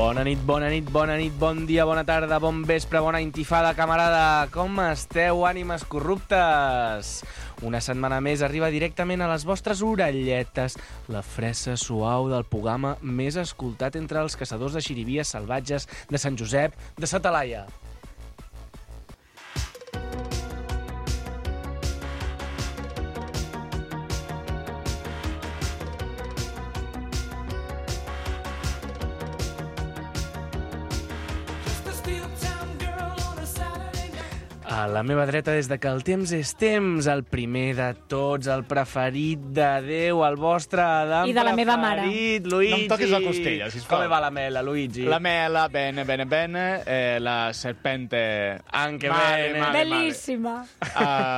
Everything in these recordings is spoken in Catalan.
Bona nit, bon dia, bona tarda, bon vespre, bona intifada, camarada. Com esteu, ànimes corruptes? Una setmana més arriba directament a les vostres orelletes la fressa suau del programa més escoltat entre els caçadors de xirivies salvatges de Sant Josep de sa Talaia. A la meva dreta, des de que el temps és temps, el primer de tots, el preferit de Déu, el vostre Adam I de la meva mare. preferit, Luigi. No em toquis la costella, sisplau. Com va la mela, Luigi? La mela, bene, la serpente... Anche male, bene. male, Bellíssima.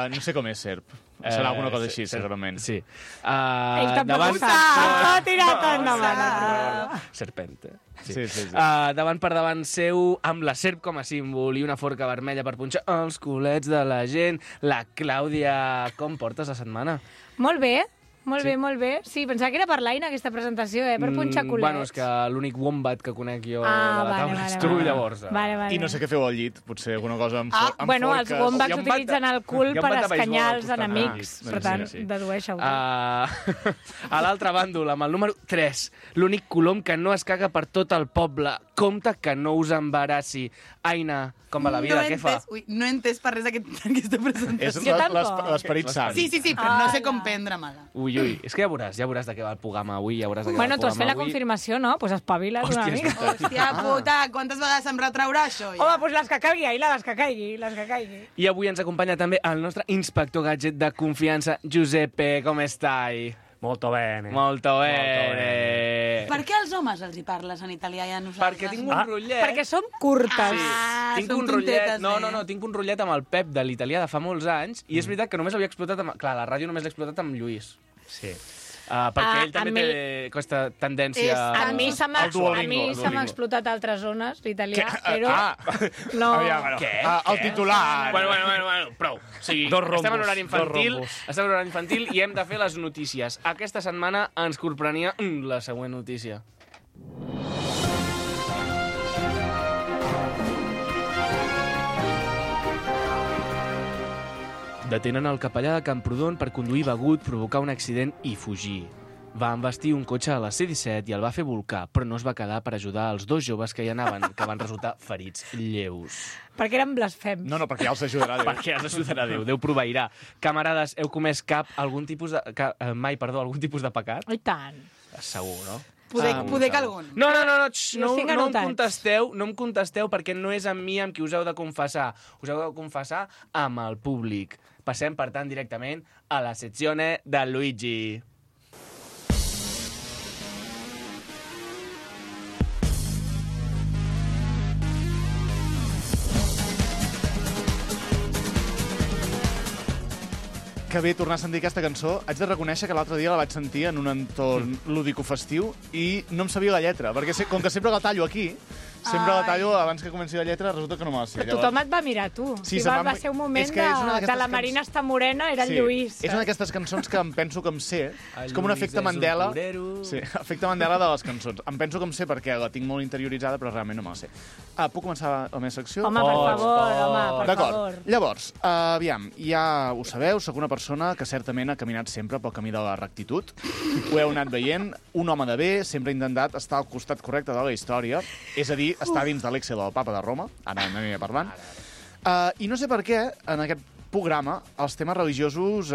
No sé com és serp. Serà alguna cosa així, segurament. Sí. Ell tampoc ho sap. S'ha tirat endavant. Serpente. Sí. Davant per davant seu, amb la serp com a símbol i una forca vermella per punxar els culets de la gent, la Clàudia. Com portes la setmana? Molt bé. Molt bé. Sí, pensava que era per l'Aina, aquesta presentació, per punxar culets. Bueno, és que l'únic wombat que conec jo de la vale, taula és tu, llavors. Vale. I no sé què feu al llit, potser alguna cosa amb forques. Bueno, els wombats utilitzen el cul per escanyar els beisbol, enemics. sí, Per tant, sí. dedueixo. A l'altre bàndol, amb el número 3, l'únic colom que no es caga per tot el poble. Compte que no us embarassi. Aina, com va la vida? Què fa? No he entès per res aquesta presentació. És Jo tampoc. l'esperit sant. Sí, però no sé com prendre-me-la. Ui, és que ja veuràs de què va el programa avui, Bueno, tu has fet la confirmació, no? Doncs espavila't una mica. Hòstia puta, quantes vegades em retraurà això? Ja? Home, doncs les que caigui, Aina, les que caigui. I avui ens acompanya també el nostre inspector gadget de confiança, Giuseppe, com estai? Molto bene. Molto bene. Per què als homes els hi parles en italià i a nosaltres? Perquè tinc un rotllet. Perquè som curtes. Sí. Tinc som un rotllet. tontetes, No, tinc un rotllet amb el Pep de l'italià de fa molts anys i és veritat que només havia explotat amb... Clar, la ràdio només l'he explotat amb Lluís. Sí. Perquè ell també té aquesta tendència... A mi se m'ha Duolingo. explotat altres zones l'italià, però... No. Què? El titular. Bueno, prou. O sigui, Dos rombos, estem en horari infantil, dos rombos. I hem de fer les notícies. Aquesta setmana ens corprenia la següent notícia. Detenen el capellà de Camprodon per conduir begut, provocar un accident i fugir. Va embestir un cotxe a la C-17 i el va fer volcar, però no es va quedar per ajudar els dos joves que hi anaven, que van resultar ferits lleus. Perquè eren blasfems. No, perquè ja els ajudarà Déu. Perquè els ajudarà Déu, Déu proveirà. Camarades, heu comès algun tipus de pecat? I tant. Segur, no? Poder que algun. No, no em contesteu perquè no és amb mi amb qui us heu de confessar. Us heu de confessar amb el públic. Passem, per tant, directament a la seczione de Luigi. Que bé tornar a sentir aquesta cançó. Haig de reconèixer que l'altre dia la vaig sentir en un entorn lúdico-festiu i no em sabia la lletra, perquè com que sempre la tallo aquí, la tallo abans que comenci la lletra, resulta que no me la sé. Però tothom et va mirar, tu. Sí, va ser un moment de la Marina està morena, era el Lluís. És una d'aquestes cançons que em penso que em sé. És com un efecte Mandela. Sí, efecte Mandela de les cançons. Em penso que em sé perquè la tinc molt interioritzada, però realment no me la sé. Puc començar la meva secció? Home, per favor. D'acord. Llavors, aviam, ja ho sabeu, sóc una persona que certament ha caminat sempre pel camí de la rectitud. Ho heu anat veient. Un home de bé sempre ha intentat estar al costat correcte de la història, és a dir, està dins de l'Excel del Papa de Roma, ara n'aniré parlant. I no sé per què, en aquest programa, els temes religiosos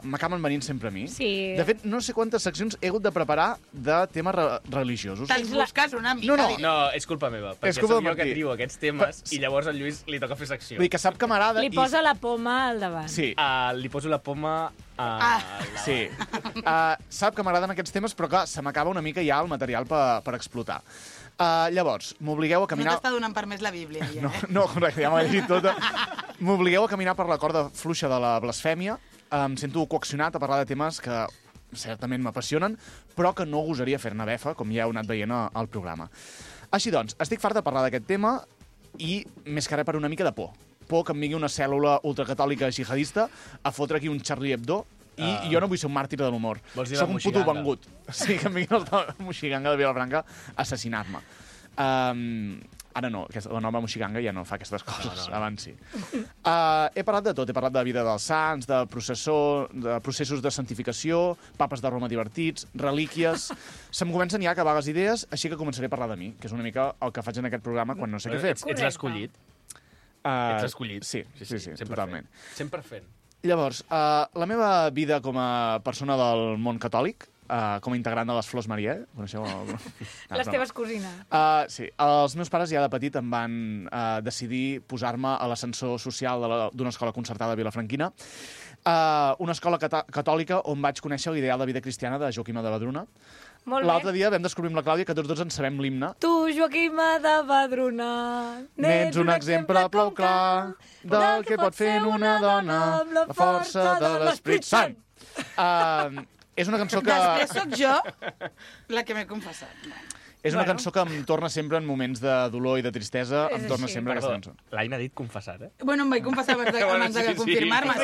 m'acaben venint sempre a mi. Sí. De fet, no sé quantes seccions he hagut de preparar de temes religiosos. Te'ls busques una mica. No, és culpa meva, perquè soc jo que trio aquests temes i llavors al Lluís li toca fer secció. Vull dir que sap que m'agrada... Li posa la poma al davant. Sí. Li poso la poma Sí. Sap que m'agraden aquests temes, però clar, se m'acaba una mica ja el material per explotar. Llavors, m'obligueu a caminar... No t'està donant per més la Bíblia, ja, No, correcte, ja m'ho he llegit tota. M'obligueu a caminar per la corda fluixa de la blasfèmia. Em sento coaccionat a parlar de temes que certament m'apassionen, però que no gosaria fer-ne befa, com ja heu anat veient al programa. Així doncs, estic fart de parlar d'aquest tema i més que res per una mica de por. Por que em vingui una cèl·lula ultracatòlica jihadista a fotre aquí un Charlie Hebdo i jo no vull ser un màrtir de l'humor. Vols dir Soc la un puto moxiganga? vengut. Sí, que em vinguin els de Moxiganga de Vilafranca a assassinar-me. Ara no, la nova moixiganga ja no fa aquestes coses, abans sí. He parlat de tot, he parlat de la vida dels sants, de processos de santificació, papes de Roma divertits, relíquies... Se'm comencen ja a acabar les idees, així que començaré a parlar de mi, que és una mica el que faig en aquest programa quan no sé què fer. Ets l'escollit. Ets l'escollit. Sí, totalment. 100%. Llavors, la meva vida com a persona del món catòlic, com a integrant de les Flors Marià. Coneixeu? Les teves cosines. Sí. Els meus pares ja de petit em van decidir posar-me a l'ascensor social d'una escola concertada a Vilafranquina, una escola catòlica on vaig conèixer l'ideal de vida cristiana de Joaquima de Vedruna. L'altre dia vam descobrir amb la Clàudia que tots dos ens sabem l'himne. Tu, Joaquima de Vedruna, n'ets un exemple prou clar del que pot fer una dona la força de l'Esprit Sant. És una cançó que... Després sóc jo la que m'he confessat. És una cançó que em torna sempre en moments de dolor i de tristesa, em torna sempre aquesta cançó. L'Aina ha dit confessar, eh? Bueno, em vaig confessar abans de confirmar-me.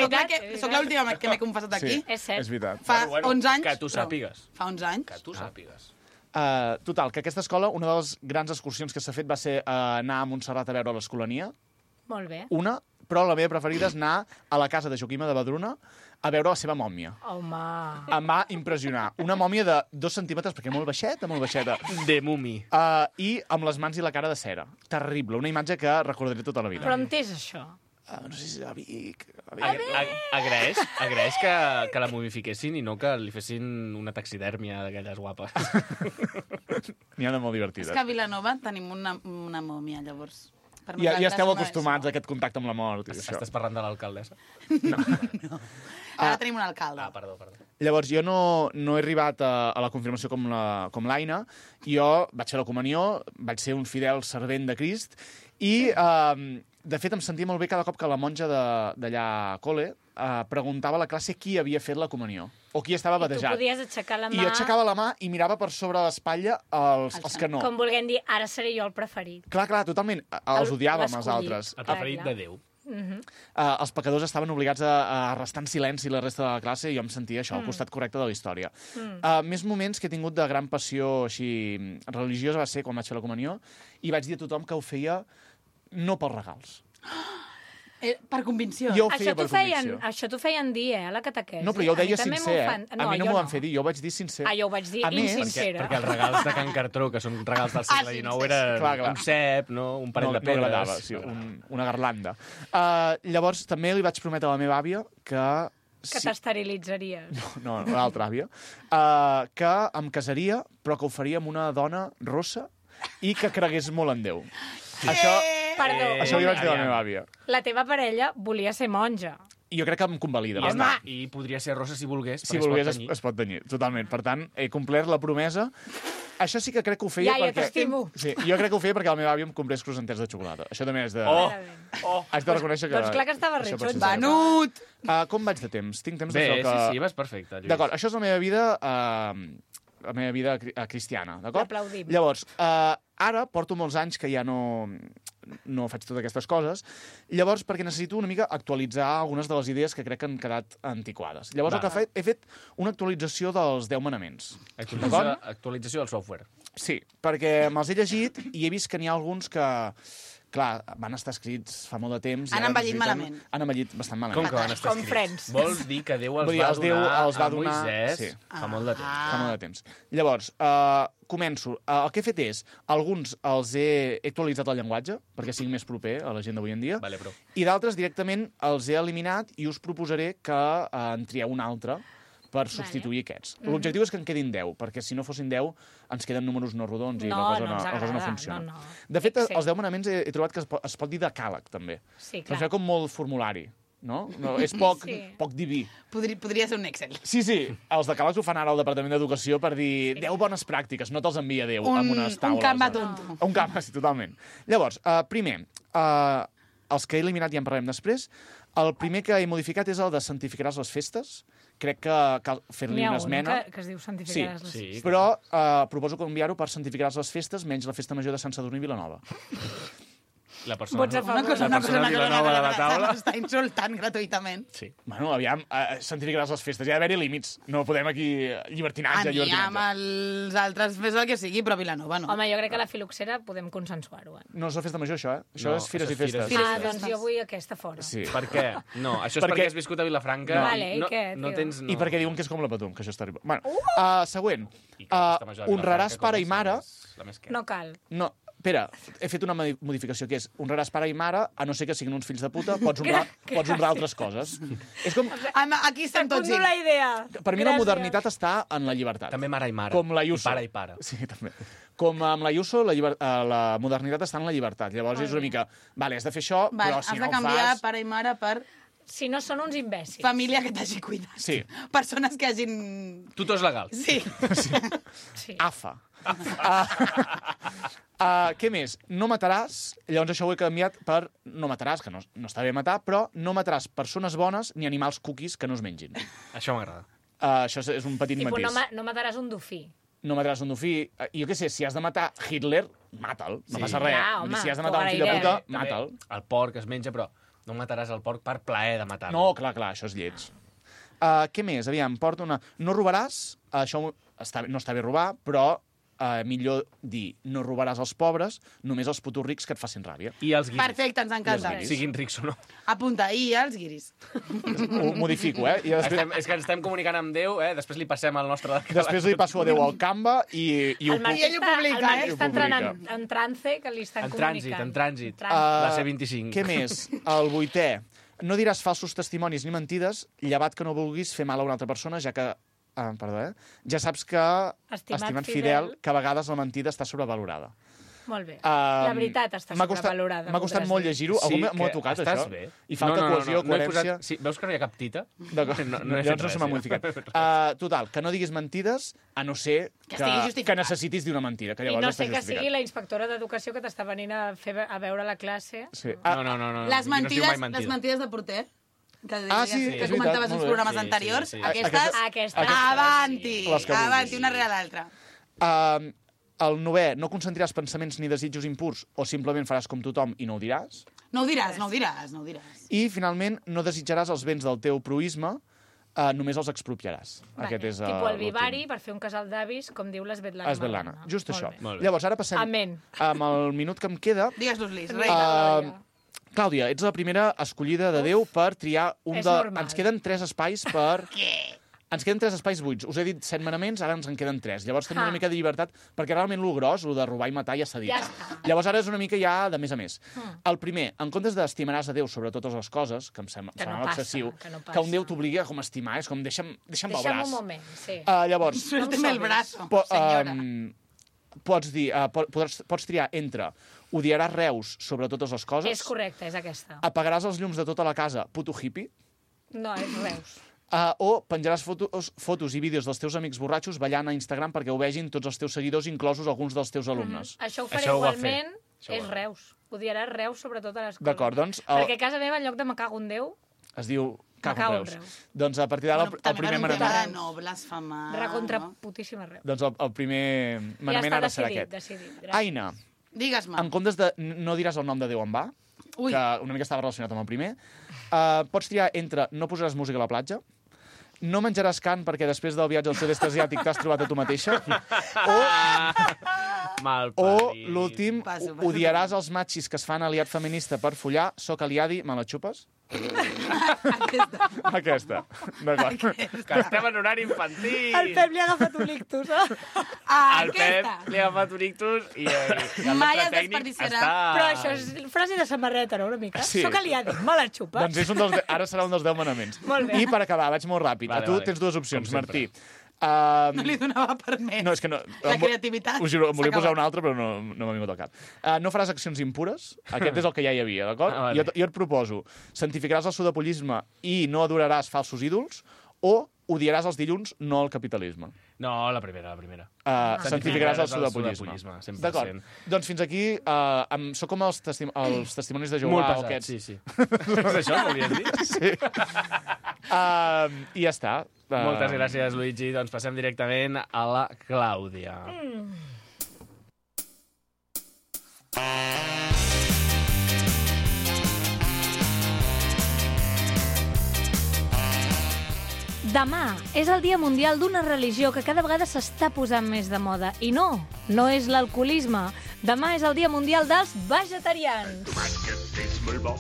Soc l'última que m'he confessat aquí. És cert. És veritat. Fa 11 anys. Que tu sàpigues. Fa 11 anys. Que tu sàpigues. Total, que aquesta escola, una de les grans excursions que s'ha fet va ser anar a Montserrat a veure l'Escolania. Molt bé. Una, però la meva preferida és anar a la casa de Joaquima de Vedruna a veure la seva mòmia. Home... Em va impressionar. Una mòmia de 2 centímetres, perquè molt baixeta, molt baixeta. De mumi. I amb les mans i la cara de cera. Terrible, una imatge que recordaré tota la vida. Però on és això? No sé si a Vic... Agraeix que la momifiquessin i no que li fessin una taxidèrmia d'aquelles guapes. N'hi ha de molt divertides. És que a Vilanova tenim una mòmia, llavors... Ja esteu acostumats a aquest contacte amb la mort. Estàs parlant de l'alcaldessa? No. Ara tenim un alcalde. Perdó. Llavors, jo no he arribat a la confirmació com l'Aina. Jo vaig fer la comunió, vaig ser un fidel servent de Crist i, de fet, em sentia molt bé cada cop que la monja d'allà a col·le preguntava a la classe qui havia fet la comunió o qui estava batejat. I tu podies aixecar la mà... I jo aixecava la mà i mirava per sobre l'espatlla els que no. Com volguem dir, ara seré jo el preferit. Clar, totalment. Els odiàvem, els altres. El preferit de Déu. Els pecadors estaven obligats a restar en silenci la resta de la classe i jo em sentia això, al costat correcte de la història. Més moments que he tingut de gran passió així religiosa va ser quan vaig fer la comunió i vaig dir a tothom que ho feia no pels regals. Per convicció. Jo ho feia per convicció. Això t'ho feien dir, a la catequesi. No, però jo ho deia sincer, A mi no m'ho van fer dir, jo ho vaig dir sincer. Jo ho vaig dir insincera. Perquè els regals de Can Cartró, que són regals del segle XIX, eren un cep, un parell de pedres... Sí, una garlanda. Llavors, també li vaig prometre a la meva àvia que... Que t'esterilitzaries. No, l'altra àvia. Que em casaria, però que ho faria amb una dona rossa i que cregués molt en Déu. Això li vaig dir a la meva àvia. La teva parella volia ser monja. I jo crec que em convalida. I podria ser rossa si volgués, si volgués es pot tenyir, totalment. Per tant, he complert la promesa. Això sí que crec que ho feia perquè... Ja t'estimo. Sí, jo crec que ho feia perquè la meva àvia em comprés croissanters de xocolata. Això també és de... Haig de reconèixer que... Doncs clar que estava ritxo. Venut! Com vaig de temps? Tinc temps de fer que... Sí, vas perfecte, Lluís. D'acord, això és la meva vida cristiana, d'acord? L'aplaudim. Llavors, ara porto molts anys que ja no faig totes aquestes coses, llavors perquè necessito una mica actualitzar algunes de les idees que crec que han quedat antiquades. Llavors el que he fet una actualització dels 10 manaments. Actualització del software. Sí, perquè me'ls he llegit i he vist que n'hi ha alguns que... Clar, van estar escrits fa molt de temps. Han envellit malament. Han envellit bastant malament. Com que van estar escrits? Vols dir que Déu els va donar a Moisès fa molt de temps. Fa molt de temps. Llavors, començo. El que he fet és, alguns els he actualitzat el llenguatge, perquè sigui més proper a la gent d'avui en dia, i d'altres directament els he eliminat i us proposaré que en trieu un altre per substituir aquests. L'objectiu és que en quedin 10, perquè si no fossin 10 ens queden números no rodons i la cosa no funciona. De fet, els 10 manaments he trobat que es pot dir decàleg, també. Sí, clar. Es veu com molt formulari, no? És poc diví. Podria ser un Excel. Sí, els decàlegs ho fan ara al Departament d'Educació per dir 10 bones pràctiques, no te'ls envia Déu amb unes taules. Un Canva tonto. Un Canva, sí, totalment. Llavors, primer, els que he eliminat ja en parlarem després. El primer que he modificat és el de santificaràs les festes. Crec que cal fer-li una esmena. N'hi ha un que es diu santificaràs les festes. Però proposo canviar-ho per santificaràs les festes menys la festa major de Sant Sadurní i Vilanova. La persona... Vots a favor. Una cosa, Vilanova de la taula. Està insultant gratuïtament. Sí. Bueno, aviam, santificaràs les festes. Hi ha d'haver-hi límits. No podem aquí llibertinatge, Amb els altres fes el que sigui, però Vilanova no. Home, jo crec que la filoxera podem consensuar-ho. No és la festa major, això, eh? Això No, és fires això i és fires festes. i Ah, doncs jo vull aquesta fora. Sí. Per què? No, això és perquè has viscut a Vilafranca. No. Vale, i què, no tio? tens... I perquè diuen que és com la Patum, que això està arribant. Bueno, següent. I que la festa major de Honraràs Vilafranca, pare com i mare... la més que... No cal. No, espera, he fet una modificació, que és honraràs pare i mare, a no ser que siguin uns fills de puta, pots honrar altres coses. És com... Aquí estem tots Secundo la idea. Per mi la Gràcies. modernitat està en la llibertat. També mare i mare. Com la Ayuso. I pare i pare. Sí, també. Com amb la Ayuso, la modernitat està en la llibertat. Llavors és una mica... Vale, has de fer això, però si has no de ho canviar fas... pare i mare per Si no són uns imbècils. família que t'hagi cuidat. Sí. Persones que hagin... Tutors legals. Sí. Sí. AFA. Què més? No mataràs, llavors això ho he canviat per no mataràs, que no està bé matar, però no mataràs persones bones ni animals cookies que no es mengin. Això m'agrada. Això és un petit Tipo, matís. no mataràs un dofí. No mataràs un dofí. Jo què sé, si has de matar Hitler, mata'l. No Sí. passa res. Clar, Vull dir, home, si has de matar un fill de t'ho puta, agrairem. mata'l. El porc es menja, però no mataràs el porc per plaer de matar-lo. No, clar, això és lleig. Què més? Aviam, porta una... No robaràs, això no està bé robar, però millor dir no robaràs als pobres, només als putos rics que et facin ràbia. I els guiris. Perfecte, ens encanta. Siguin rics o no. Apunta, i els guiris. Ho modifico, eh? I És que ens estem comunicant amb Déu, després li passem el nostre... després li passo a Déu al Canva i ho El Marc ell ho publica, el Marc eh? està Ho entrant publica. en trance, que li estan comunicant. En trànsit. Ah, La C25. Què més? El 8è. No diràs falsos testimonis ni mentides, llevat que no vulguis fer mal a una altra persona, ja que... Ja saps que, estimat fidel, que a vegades la mentida està sobrevalorada. Molt bé. La veritat està sobrevalorada. M'ha costat molt llegir-ho. Algú m'ho ha tocat, estàs això? bé. I falta cohesió, coherència... Sí, veus que no hi ha cap tita? D'acord, No he fet llavors no res, se m'ha ja. modificat. Total, que no diguis mentides, a no ser estigui justificat. que necessitis dir una mentida, que I llavors no està sé que justificat. sigui la inspectora d'educació que t'està venint a veure la classe. Sí. No. Les no es diu mai mentides de porter, que, Sí, que és comentaves veritat, uns molt bé. programes Sí, anteriors, sí. aquestes, avanti, Les que vulguis. avanti, una rere l'altra. El 9è, no consentiràs pensaments ni desitjos impurs o simplement faràs com tothom i no ho diràs. No ho diràs, no ho diràs, no ho diràs. I, finalment, no desitjaràs els béns del teu proisme, només els expropiaràs. Aquest és Tipo el l'últim. vivari per fer un casal d'avis, com diu l'Esvetlana. Esvetlana, just Molt això. bé. Molt bé. Llavors, ara passem Amén. amb el minut que em queda. Digues-los, Lis, Vinga, reina. Glòria. Clàudia, ets la primera escollida de Déu per triar un És de... normal. Ens queden 3 espais per... Què? Ens queden 3 espais buits. Us he dit 7 manaments, ara ens en queden 3. Llavors tenim una mica de llibertat, perquè realment lo gros, lo de robar i matar, ja s'ha dit. Ja està. Llavors ara és una mica ja de més a més. El primer, en comptes d'estimaràs a Déu sobre totes les coses, que em sembla Que no sembla passa, excessiu, que no que un passa. Déu t'obligui a com a estimar, és com deixa'm pel Deixa'm braç. un moment, sí. Llavors, Suélteme el brazo, po- senyora. pots dir, pots triar entre odiaràs Reus sobre totes les coses, És correcte, és aquesta. apagaràs els llums de tota la casa, puto hippie, No, és Reus. o penjaràs fotos i vídeos dels teus amics borratxos ballant a Instagram perquè ho vegin tots els teus seguidors, inclosos alguns dels teus alumnes. Això ho faré Això ho va igualment, fer. Això ho és va fer. Reus. Odiaràs Reus sobre totes les coses. D'acord, doncs, Perquè a casa meva, en lloc de me cago en Déu, Es diu cago Cago en en Reus. Reus. Doncs a partir d'ara el També primer per un tema manament... de no blasfemar. recontra no? putíssima Reus. Doncs el primer Ja manament està ara serà decidit, aquest. decidit. Gràcies. Aina, Digues-me. en comptes de... No diràs el nom de Déu en va, Ui. que una mica estava relacionat amb el primer. Pots triar entre no posaràs música a la platja, no menjaràs carn perquè després del viatge al sud-est asiàtic t'has trobat a tu mateixa, o l'últim, Passo. odiaràs els machis que es fan aliat feminista per follar, soc aliadi, me la xupes? Aquesta. D'acord. Que estem en horari infantil. El Pep li ha agafat un ictus, eh? El Pep li ha agafat un ictus i el Mai nostre es tècnic desperdiciarà. està... Però això és frase de samarreta, no, una mica? Sí. Soc aliada, me la xupes. Doncs és ara serà un dels 10 manaments. Molt bé. I per acabar, vaig molt ràpid. Vale, A tu vale. tens dues opcions, Com sempre. Martí. No li donava per més. No, és que no... La creativitat Us juro, em volia s'ha posar acabat. una altra, però no m'ha vingut al cap. No faràs accions impures. Aquest és el que ja hi havia, d'acord? Ah, vale. Jo et proposo, santificaràs el sudapollisme i no adoraràs falsos ídols, o odiaràs els dilluns, no el capitalisme. No, la primera. Santificaràs el sudapollisme. 100%. D'acord. Doncs fins aquí sóc com els testimonis de Molt Jehovà o pesat, aquests. sí. És això, volies dir? Sí. I ja està. Moltes gràcies, Luigi. Doncs passem directament a la Clàudia. Demà és el Dia Mundial d'una religió que cada vegada s'està posant més de moda. I no és l'alcoholisme. Demà és el Dia Mundial dels vegetarians. Tomàquet és molt bo,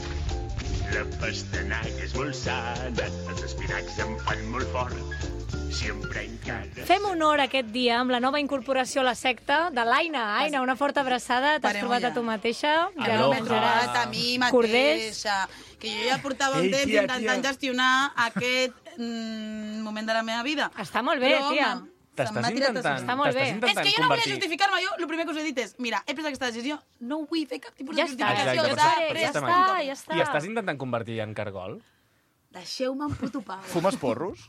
la pastanaga és molt sana, els espinacs em fan molt fort, sempre encara... Fem honor aquest dia amb la nova incorporació a la secta de l'Aina. Aina, una forta abraçada. T'has Parem trobat ja. a tu mateixa. Ja Aloha. menjaràs A mi corders. mateixa. Que jo ja portava un Ei, temps tia, intentant gestionar aquest moment de la meva vida. Està molt bé, Però, tia. home, T'estàs se'm va tirar tot. intentant, Està molt bé. t'estàs És intentant que jo no volia convertir... justificar-me. Jo el primer que us he dit és, mira, he pres aquesta decisió, no vull fer cap tipus Ja de està, justificació. Exacte, ja per està, això ja està. I estàs intentant convertir en cargol? Deixeu-me en puto pau. Fumes porros?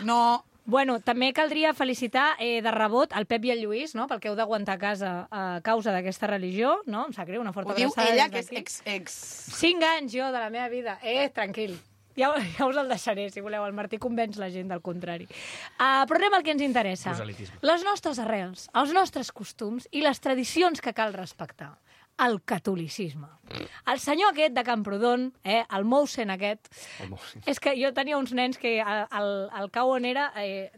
No, Bueno, també caldria felicitar de rebot el Pep i el Lluís, no?, pel que heu d'aguantar a casa a causa d'aquesta religió, no? Em sap greu, una forta ho diu abraçada ella, des que és d'aquí. ex... 5 anys jo de la meva vida. Tranquil. Ja us el deixaré, si voleu. El Martí convenç la gent del contrari. Però anem al que ens interessa. Proselitisme. Les nostres arrels, els nostres costums i les tradicions que cal respectar. El catolicisme. El senyor aquest de Camprodon, el Mousen aquest, és que jo tenia uns nens que al cau on era,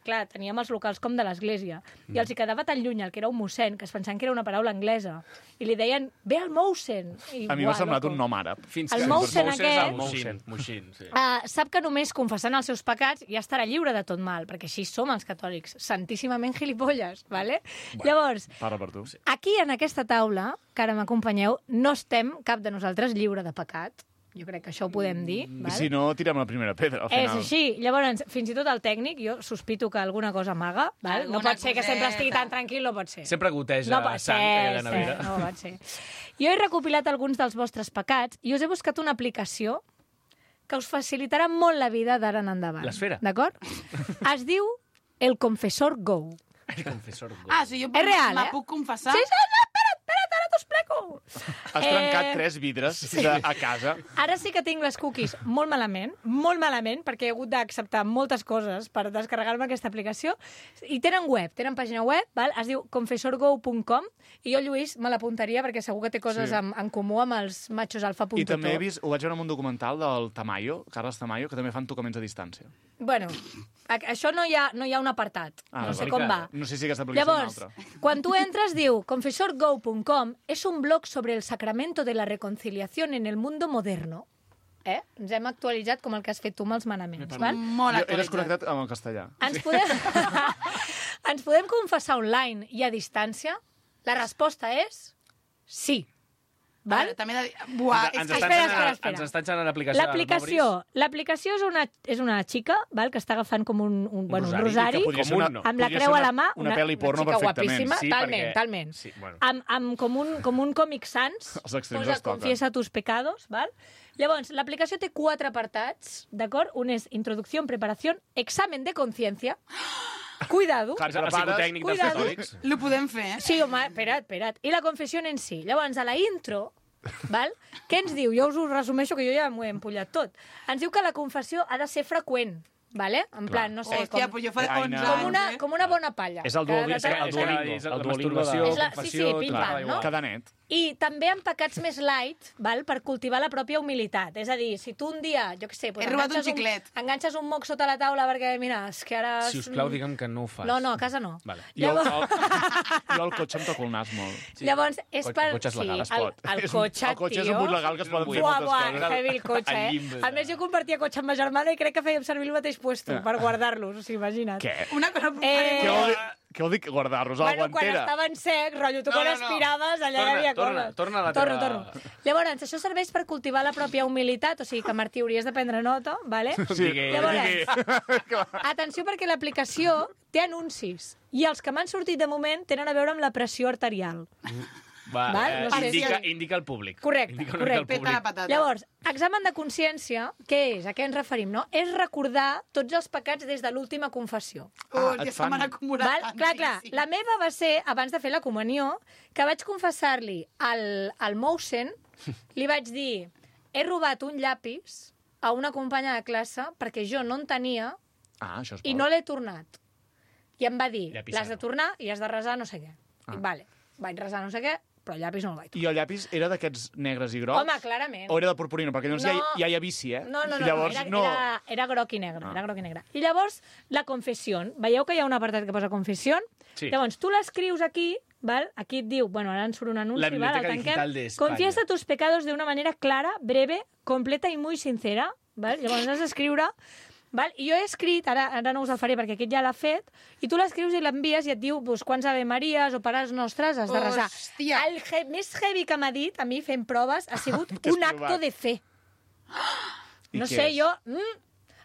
clar, teníem els locals com de l'església, i els hi quedava tan lluny el que era un mossèn, que es pensaven que era una paraula anglesa, i li deien, ve el Mousen. A mi m'ha semblat un nom àrab. Fins El que... Mousen és aquest- el Moixin. Moixin, sí. Sap que només confessant els seus pecats ja estarà lliure de tot mal, perquè així som els catòlics, santíssimament gilipolles, ¿vale? Llavors, Parla per tu. aquí en aquesta taula, que ara m'acompanyeu, no estem cap de nosaltres lliure de pecat. Jo crec que això ho podem dir. I Val? si no, tirem la primera pedra, al És final. així. Llavors, fins i tot el tècnic, jo sospito que alguna cosa amaga. Val? No Alguna pot ser que sempre coseta. estigui tan tranquil, no pot ser. Sempre goteja No pot sang ser, aquella nevera. no pot ser. Jo he recopilat alguns dels vostres pecats i us he buscat una aplicació que us facilitarà molt la vida d'ara en endavant. L'esfera. D'acord? Es diu El Confessor Go. El confessor. Ah, si jo És real, me eh? puc confessar... Sí, espera't, ara t'ho explico. Has trencat 3 vidres a casa. Ara sí que tinc les cookies molt malament, perquè he hagut d'acceptar moltes coses per descarregar-me aquesta aplicació. I tenen web, tenen pàgina web, val? Es diu confessorgo.com, i jo, Lluís, me l'apuntaria perquè segur que té coses Sí. en comú amb els machos alfa.to. I també he vist, ho vaig veure en un documental del Tamayo, Carles Tamayo, que també fan tocaments a distància. Bueno, això no hi ha un apartat, no sé com va. No sé si aquesta aplicació Llavors, és una altra. quan tu entres, diu confessorgo.com és un blog sobre el sacramento de la reconciliación en el mundo moderno. Ens hem actualitzat com el que has fet tu amb els manaments, val? Molt Jo he actualitzat. desconnectat amb el castellà. Ens podem confessar online i a distància? La resposta és sí. Val? També he de dir... Buah, és Ens que... estan enxanant l'aplicació. L'aplicació és una xica, val, que està agafant com un rosari, Que podria ser una- amb la podria creu ser a la mà, una pel·li porno xica perfectament. guapíssima, Sí, talment, perquè- talment. Sí, bueno. Amb com un còmic sans, Els extrems posa es toquen. confiesa tus pecados, val? Llavors, l'aplicació té 4 apartats, d'acord? Un és introducció, preparació, examen de consciència, cuidado, Clar, El psicotècnic dels Cuidado. catòlics. Lo podem fer, eh? sí, home, espera't, i la confessió en si. Llavors, a la intro, val? Què ens diu? Jo us ho resumeixo, que jo ja m'ho he empullat tot. Ens diu que la confessió ha de ser freqüent, vale? En plan, no sé, Hòstia, però jo fa Aina. 11 anys, com una bona palla. És el Duolingo, Que de tant en tant- és la el Duolingo masturbació, de... És la- confessió, sí, pim-pam, clar, no? igual. Cada net. I també amb pecats més light, val? Per cultivar la pròpia humilitat. És a dir, si tu un dia, jo què sé... He robat un xiclet. Enganxes un moc sota la taula perquè, mira, és que ara... Si us plau, digue'm que no ho fas. No, a casa no. Vale. Jo, Llavors, jo al cotxe em toco el nas molt. llavors és El per... cotxe és legal, es pot. El cotxe, El cotxe és tio. un but legal que es poden fer Buah, moltes buah, coses. heavy el cotxe, Al eh? llimbe. A més, jo compartia cotxe amb ma germana i crec que fèiem servir el mateix puesto per guardar-los, o sigui, imagina't. Què? Una cosa... Què vol dir guardar-los a la Bueno, quan guantera? estaven secs, rotllo, tu quan aspiraves, allà hi havia coses. Torna a la teva... Torno. Llavors, això serveix per cultivar la pròpia humilitat, o sigui que, Martí, hauries de prendre nota, vale? Sí, Llavors, atenció perquè l'aplicació té anuncis i els que m'han sortit de moment tenen a veure amb la pressió arterial. Va, Val? No sé. indica el públic. Correcte, Indica una mica el correcte. Peta la públic. patata. Llavors, examen de consciència, què és? A què ens referim, no? És recordar tots els pecats des de l'última confessió. Hòstia, et se m'han fan- acumulat Val? tant, Clar, sí. la meva va ser, abans de fer la comunió, que vaig confessar-li al Mousen, li vaig dir, he robat un llapis a una companya de classe perquè jo no en tenia Ah, això és i bo. no l'he tornat. I em va dir, Llapisado. l'has de tornar i has de resar no sé què. I vale, vaig resar no sé què, però el llapis no el vaig trobar. I el llapis era d'aquests negres i grocs? Home, clarament. O era de purpurina? Perquè llavors ja hi ha vici, eh? No, I llavors, era groc i negre, era groc i negre. I llavors, la confessió. Veieu que hi ha un apartat que posa confessió? Sí. Llavors, tu l'escrius aquí, val? Aquí et diu, bueno, ara en surt un anunci, La val? Biblioteca El Digital de España. Confiesa tus pecados de una manera clara, breve, completa i muy sincera. Val? Llavors has d'escriure... Val? I jo he escrit, ara no us el faré perquè aquest ja l'ha fet, i tu l'escrius i l'envies i et diu pues, quants Ave Maries o Pares Nostres has de resar. Hòstia. El més heavy que m'ha dit, a mi fent proves, ha sigut un acto de fe. No sé, jo...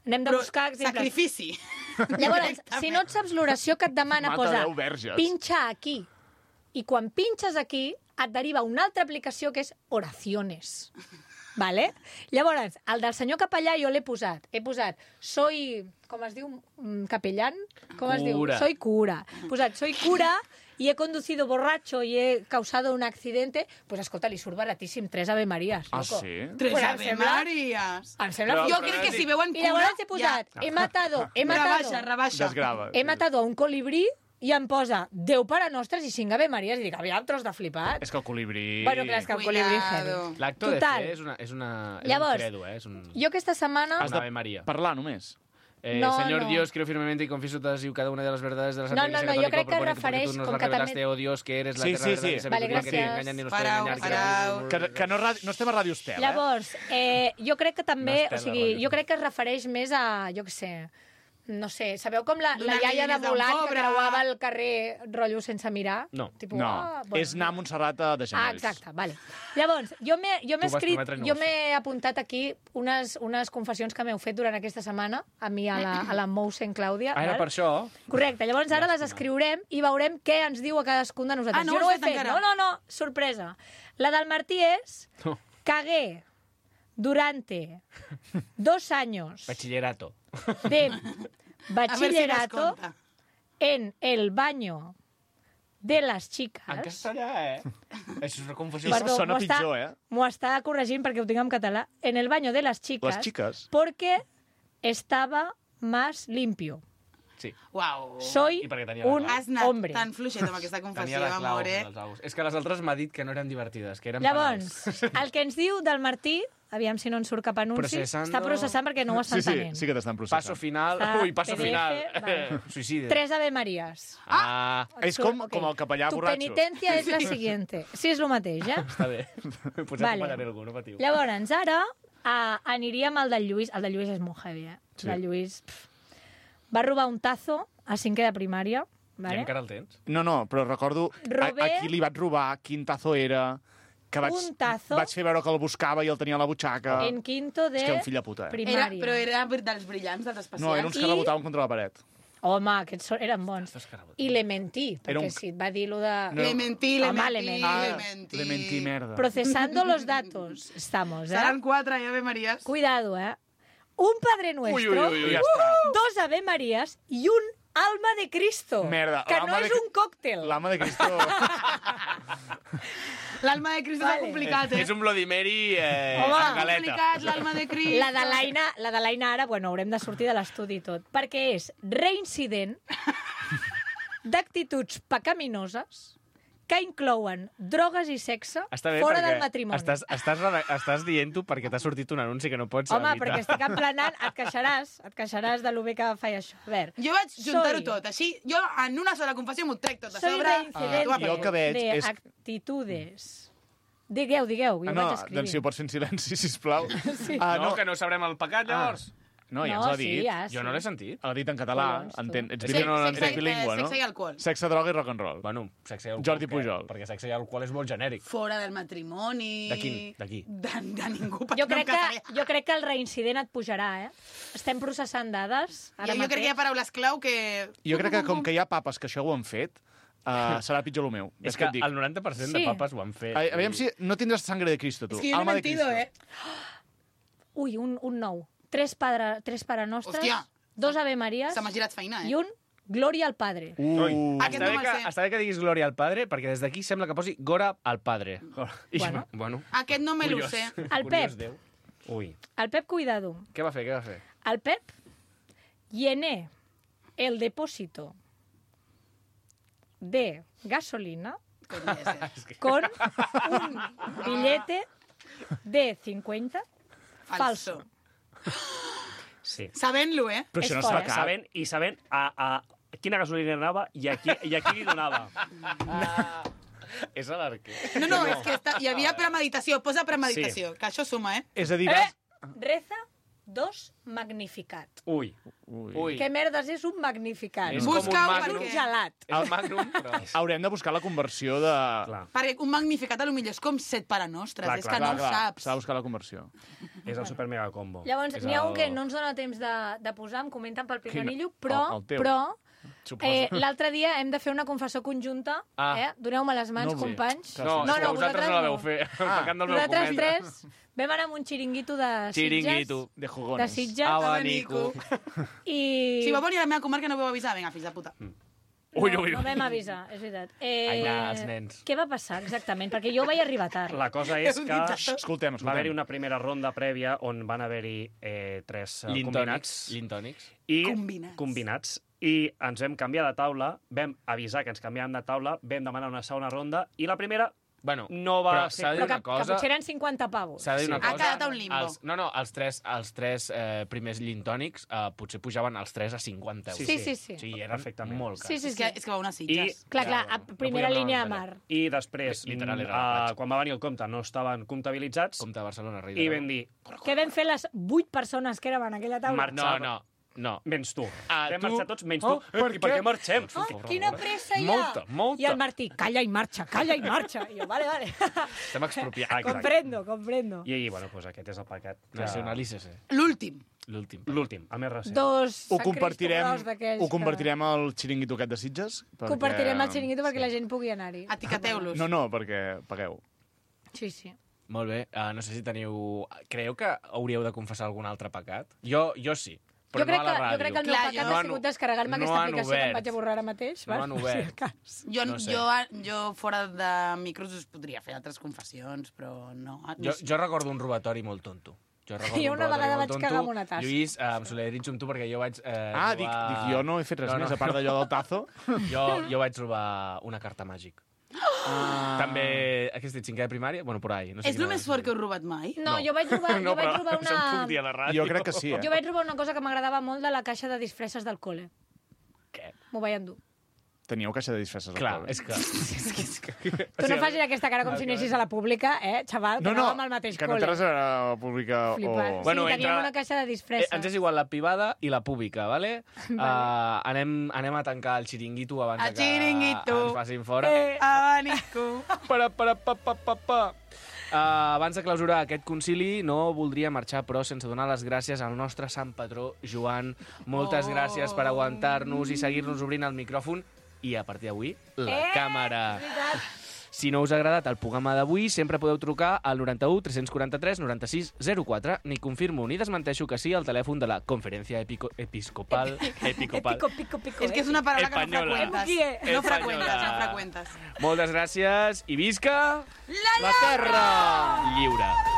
anem de buscar exemples. Sacrifici. Llavors, si no et saps l'oració que et demana, Mata posa 10 verges. pinxa aquí. I quan pinxes aquí, et deriva una altra aplicació que és oraciones. Vale? Llavors, el del senyor capellà jo l'he posat. He posat, soy... Com es diu? Capellán? Com es diu? Cura. Soy cura. He posat, soy cura y he conducido borracho y he causado un accidente. Pues escolta, li surt baratíssim 3 Ave Maries. Ah, loco. sí? Tres Pues em Ave sembla- Maries. Em sembla... Però- Jo crec que si veuen I cura... llavors he posat, he matado Rebaixa. Desgrava. he matado a un colibrí i em posa 10 Pare Nostres i 5 Ave Maries. I dic, aviam, tros de flipat. És que el colibrí... Bueno, clar, és que el colibrí heavy. L'acto de Total. fe és un Llavors, credo, és un... Jo aquesta setmana... Has Una de Ave María. parlar només. No, Señor no. Dios, creo firmemente y confieso todas y cada una de las verdades de la Santa No, Iglesia no, jo Católica crec que por ponente, refereix porque tú nos com la que revelaste, també- oh Dios, que eres la Sí, eterna sí, verdad sí. y Vale, sabiduría que ni gràcies. engañan ni nos Parau, puede engañar. parau. Que no estem a Ràdio Estel, Llavors, jo crec que també... No o sigui, estem a jo crec que es refereix més a, jo què sé... No sé, sabeu com la Donar-li iaia de diners a un Mulan que pobre. creuava el carrer rotllo sense mirar? No. Tipo, No, bueno, és anar a Montserrat de genolls. exacte, vale. Llavors, jo m'he vas escrit, prometre i no jo ho m'he apuntat aquí unes confessions que m'heu fet durant aquesta setmana, a mi, a la Mousen Clàudia. Ah, era val? per això? Correcte, llavors ara les escriurem i veurem què ens diu a cadascun de nosaltres. Ah, no jo ho no ho has he fet fet, encara? no, sorpresa. La del Martí és No. cagué durante 2 años Bachillerato. de A veure si bachillerato descompta. en el baño de les En chicas. castellà, Això és una confusió. Perdó. sona pitjor, M'ho està corregint perquè ho tinc en català. En el baño de las chicas. Les xiques? Porque estaba más limpio. Sí. Uau. Soy I perquè tenia la un clau. Has anat hombre. tan fluixet amb aquesta Tenia confessió, la clau amore. dels aus. És que les altres m'ha dit que no eren divertides, que eren Llavors, penals. el que ens diu del Martí, aviam si no en surt cap anunci, Processando. està processant perquè no ho està Sí, entenent. sí que t'estan processant. Paso final. Ah, Ui, paso PDF, final. vale. Suïcidi. 3 Ave Maries. Ah, És com el capellà tu borratxo. penitència és la siguiente. Sí, és el mateix, està bé. Pues ja Vale. t'acompanyaré algú, no patiu. Llavors, ara aniríem al del Lluís. El del Lluís és molt heavy, eh? Sí. El del Lluís... Va robar un tazo a 5è de primària. I Vale? encara el tens? No, però recordo a qui li vaig robar, quin tazo era, que Un tazo? vaig fer veure que el buscava i el tenia a la butxaca. En quinto de És que un fill de puta, primària. Però era dels brillants, dels especials. No, eren uns que I- rebotaven contra la paret. Home, aquests eren bons. I le mentí, Era perquè un- si et va dir lo de... No. Le mentí, Home, le mentí. Le mentí, merda. Procesando los datos. Estamos, ¿eh? Seran 4 Ave Maries. Cuidado, ¿eh? Un Padre Nuestro, Ja està. 2 Ave Marías y un Alma de Cristo. Merda, Que no l'alma és de- un còctel. L'ama de Cristo... L'alma de Cristo Vale. és complicat, És un Bloody Mary Home. amb galeta. complicat, l'alma de Cristo. La de l'Aina ara, bueno, haurem de sortir de l'estudi i tot, perquè és reincident d'actituds pecaminoses que inclouen drogues i sexe Està bé fora perquè del matrimoni. estàs dient-ho perquè t'ha sortit un anunci que no pots Home, evitar. perquè estic emplenant, et queixaràs de lo bé que faig això. A veure, Jo vaig juntar-ho Soy- tot, així, jo en una sola confessió m'ho trec tot a soy sobre. reincidente jo el que veig de és- actitudes. Digueu, jo ho vaig escrivint. doncs si ho pots fer en silenci, sisplau. Sí. No, que no sabrem el pecat, llavors. No, ja No, ens l'ha sí, dit. ja, Jo no l'he sentit. L'ha dit en català. Collons, tu. Entén, ets Sí, bilingüe, no? Sexe i alcohol. Sexe, droga i rock and roll. Bueno, sexe i alcohol. Jordi què? Pujol. Perquè sexe i alcohol és molt genèric. Fora del matrimoni... De quin? De qui? De ningú. Jo perquè no em casaré. crec que el reincident et pujarà, eh? Estem processant dades ara Jo crec que hi ha paraules clau que... Jo crec que com que hi ha papes que això ho han fet, serà pitjor el meu. És que que et dic. el 90% de Sí. papes ho han fet. Aviam si no tindràs sangre de Cristo, tu. És que jo no he Alma de mentido, Cristo. eh? Ui, un nou. 3 Pare Nostres, Hòstia. 2 Ave Maries Se m'ha girat feina, i eh? un Glòria al Padre. Ui, Aquest no me'l sé. està bé que diguis Glòria al Padre, perquè des d'aquí sembla que posi Gora al Padre. I, Bueno. bueno. Aquest no me lo Curiós. sé. El Curiós Pep. Déu. Ui. El Pep, cuidado. Què va fer? Al Pep llené el depósito de gasolina con un billete de 50 falso. Sí. Sabent-lo, Però això no És es fa fort, cap. Sabent a quina gasolina anava i a qui li donava. És a l'arquer. No, és que hi havia premeditació. Posa premeditació, que això suma, És a dir, Reza 2 magnificat. Ui. Què merdes és un magnificat? És Busca com un un magnum. És un gelat. És el magnum, però... haurem de buscar la conversió de... Clar. Perquè un magnificat a lo millor és com 7 parenostres, Clar, és clar, que no ho saps. S'ha de buscar la conversió. És el super mega combo. Llavors, És n'hi ha un el- que no ens dona temps de posar, em comenten pel Pinganillo, El però teu. l'altre dia hem de fer una confessió conjunta. Doneu-me les mans, No vull. companys. No, és que vosaltres no la veu fer. El pecat del meu Nosaltres comet. tres vam anar amb un xiringuito de Sitges. Xiringuito. De jugones. De Sitges. Abanico. I... Si va venir a la meva comarca no ho vau avisar, vinga, fills de puta. No vam avisar, és veritat. Els nens. Què va passar exactament? Perquè jo vaig arribar tard. La cosa és que Escoltem. va haver-hi una primera ronda prèvia on van haver-hi 3 combinats. Lintònics. I Combinats. I ens vam canviar de taula, vam avisar que ens canviàvem de taula, vam demanar una segona ronda i la primera Bueno, no va però ser... s'ha de dir Però que una cosa... potser eren 50 pavos. S'ha de dir una Sí. cosa... Ha quedat a un limbo. Els tres primers lintònics potser pujaven els 3 a 50 euros. Sí. Sí, era Perfectament. molt car. Sí. És que va una Sitges. Clar, a primera podíem línia de anar mar. I després, Literal, era la platja. quan va venir el compte, no estaven comptabilitzats Compte Barcelona, rei i de vam dir, Què vam fer les 8 persones que érem en aquella taula? No. menys tu. Ah, Vam tu? marxar tots, menys Oh, tu. per I per què? què marxem? Quina pressa hi ha! Molta. I el Martí, calla i marxa. I jo, vale. Estem expropiats. Comprendo. I bueno, doncs aquest és el pecat. Nacional ICC. L'últim. L'últim. L'últim, el més recent. Dos Ho Sant compartirem, Cristo gros d'aquells ho compartirem al xiringuito aquest de Sitges? que- Compartirem el xiringuito perquè la gent pugui anar-hi. Etiqueteu-los. No, perquè pagueu. Sí. Molt bé. No sé si teniu... Creieu que hauríeu de confessar algun altre pecat? Jo sí, però Jo crec, no a la ràdio. jo crec que el meu Clar, pecat no ha han- sigut descarregar-me no aquesta han aplicació que em obert. vaig a borrar ara mateix. No han obert. Jo, No sé. jo fora de micros us podria fer altres confessions, però no. Jo recordo un robatori molt tonto. Jo una vegada vaig cagar amb una tassa. Lluís, em solidaritzo amb tu perquè jo vaig Dic, jo no he fet res més, a part d'allò del tazo. Jo vaig robar una carta màgic. També, aquest és 5è de primària? Bueno, por ahí. No sé És el més fort que heu robat mai? No, jo vaig robar No, però una... això em puc dir a la ràdio. Jo crec que sí, Jo vaig robar una cosa que m'agradava molt de la caixa de disfresses del col·le. Què? M'ho vaig endur. Teníeu caixa de disfresses al Clar, col·le. és que... Tu no facis aquesta cara com si anessis a la pública, xaval, que anàvem al mateix que no té col·le. res a veure amb la pública Flipant. o... Bueno, Sí, teníem entre- una caixa de disfresses. Ens és igual la privada i la pública, vale? Anem a tancar el xiringuito abans El que xiringuito. ens facin fora. Abanico. Pa. Abans de clausurar aquest concili, no voldria marxar, però sense donar les gràcies al nostre sant patró, Joan. Moltes gràcies per aguantar-nos i seguir-nos obrint el micròfon i, a partir d'avui, la càmera. Si no us ha agradat el programa d'avui, sempre podeu trucar al 91 343 96 04. Ni confirmo ni desmenteixo que sí al telèfon de la Conferència Episcopal. Pico. És que és una paraula que no Espanyola. freqüentes. No freqüentes. Moltes gràcies i visca La terra lliure!